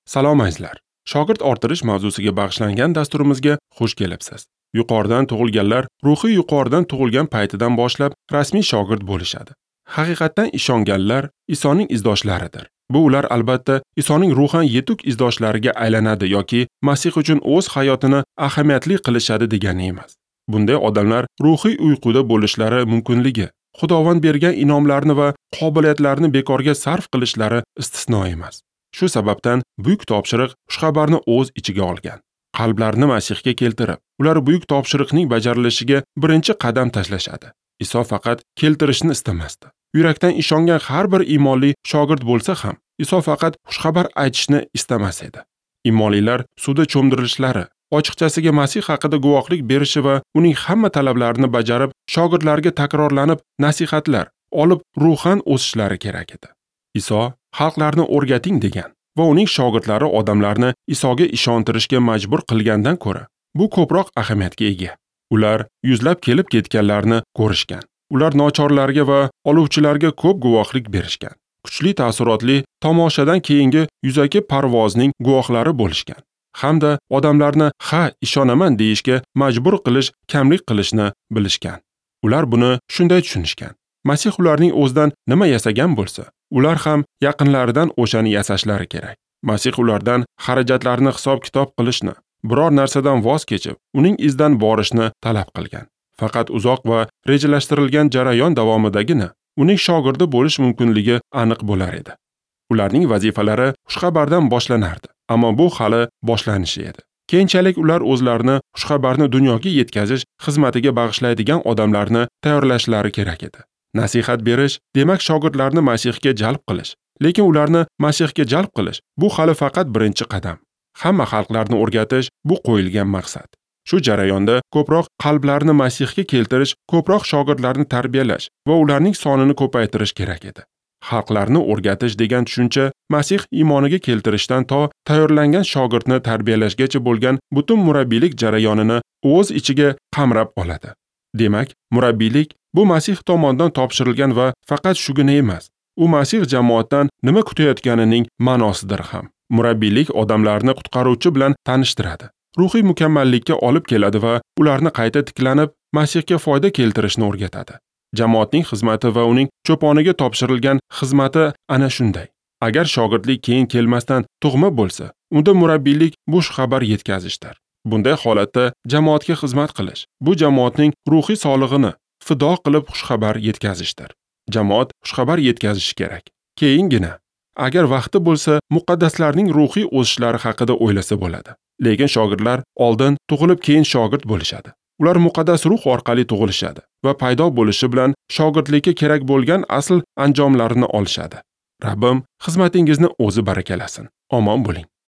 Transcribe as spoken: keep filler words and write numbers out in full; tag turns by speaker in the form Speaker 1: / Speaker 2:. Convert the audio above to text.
Speaker 1: Salom azizlar. Shogird orttirish mavzusiga bag'ishlangan dasturimizga xush kelibsiz. Yuqoridan tug'ilganlar ruhiy yuqoridan tug'ilgan paytidan boshlab rasmiy shogird bo'lishadi. Haqiqatdan ishonganlar Isoning izdoshlaridir. Bu ular albatta Isoning ruhan yetuk izdoshlariga aylanadi yoki Masih uchun o'z hayotini ahamiyatli qilishadi degani emas. Bunday odamlar ruhiy uyquda bo'lishlari mumkinligi, Xudovand bergan inomlarni va qobiliyatlarni bekorga sarf qilishlari istisno emas. Shu sababdan buyuk topshiriq xushxabarni o'z ichiga olgan. Qalblarni Masihga keltirib, ular buyuk topshiriqning bajarilishiga birinchi qadam tashlashadi. Iso faqat keltirishni istamasdi. Yurakdan ishongan har bir iymonli shogird bo'lsa ham, Iso faqat xushxabar aytishni istamas edi. Iymonlilar suvda cho'mdirilishlari, ochiqchasiga Masih haqida guvohlik berishi va uning hamma talablarini bajarib, shogirdlarga takrorlanib nasihatlar olib ruhan o'sishlari kerak edi. Iso xalqlarni o'rgating degan va uning shogirdlari odamlarni Isoga ishontirishga majbur qilgandan ko'ra, bu ko'proq ahamiyatga ega. Ular yuzlab kelib ketganlarni ko'rishgan. Ular nochorlarga va oluvchilarga ko'p guvohlik berishgan. Kuchli ta'sirotli tomoshadan keyingi yuzaki parvozning guvohlari bo'lishgan. Hamda odamlarni ha, ishonaman deyishga majbur qilish, kamlik qilishni bilishgan. Ular buni shunday tushunishgan. Masih ularning o'zidan nima yasagan bo'lsa, ular ham yaqinlaridan o'shani yasashlari kerak. Masih ulardan xarajatlarni hisob-kitob qilishni, biror narsadan voz kechib, uning izidan borishni talab qilgan. Faqat uzoq va rejalashtirilgan jarayon davomidagina uning shogirdi bo'lish mumkinligi aniq bo'lar edi. Ularning vazifalari xushxabardan boshlanardi, ammo bu hali boshlanishi edi. Keyinchalik ular o'zlarini xushxabarni dunyoga yetkazish xizmatiga bag'ishlaydigan odamlarni tayyorlashlari kerak edi. Nasihat berish, demak shogirdlarni Masihga jalb qilish. Lekin ularni Masihga jalb qilish bu hali faqat birinchi qadam. Hamma xalqlarni o'rgatish bu qo'yilgan maqsad. Shu jarayonda ko'proq qalblarni Masihga keltirish, ko'proq shogirdlarni tarbiyalash va ularning sonini ko'paytirish kerak edi. Xalqlarni o'rgatish degan tushuncha Masih iymoniga keltirishdan to tayyorlangan shogirdni tarbiyalashgacha bo'lgan butun murabbiylik jarayonini o'z ichiga qamrab oladi. Demak, murabbiylik bu Masih tomonidan topshirilgan va faqat shugina emas, u Masih jamoatdan nima kutayotganining ma'nosidir ham. Murabbiylik odamlarni qutqaruvchi bilan tanishtiradi, ruhiy mukammallikka olib keladi va ularni qayta tiklanib, Masihga foyda keltirishni o'rgatadi. Jamoatning xizmati va uning cho'poniga topshirilgan xizmati ana shunday. Agar shogirdlik keyin kelmasdan tug'ma bo'lsa, unda murabbiylik bo'sh xabar yetkazishdir. Bunday holatda jamoatga xizmat qilish, bu jamoatning ruhiy sog'lig'ini fido qilib xushxabar yetkazishdir. Jamoat xushxabar yetkazishi kerak. Keyingina, agar vaqti bo'lsa, muqaddaslarning ruhiy o'sishlari haqida o'ylasa bo'ladi. Lekin shogirdlar oldin tug'ilib keyin shogird bo'lishadi. Ular muqaddas ruh orqali tug'ilishadi va paydo bo'lishi bilan shogirdlikka kerak bo'lgan asl anjomlarini olishadi. Rabbim xizmatingizni o'zi barakalasin. Omon bo'ling.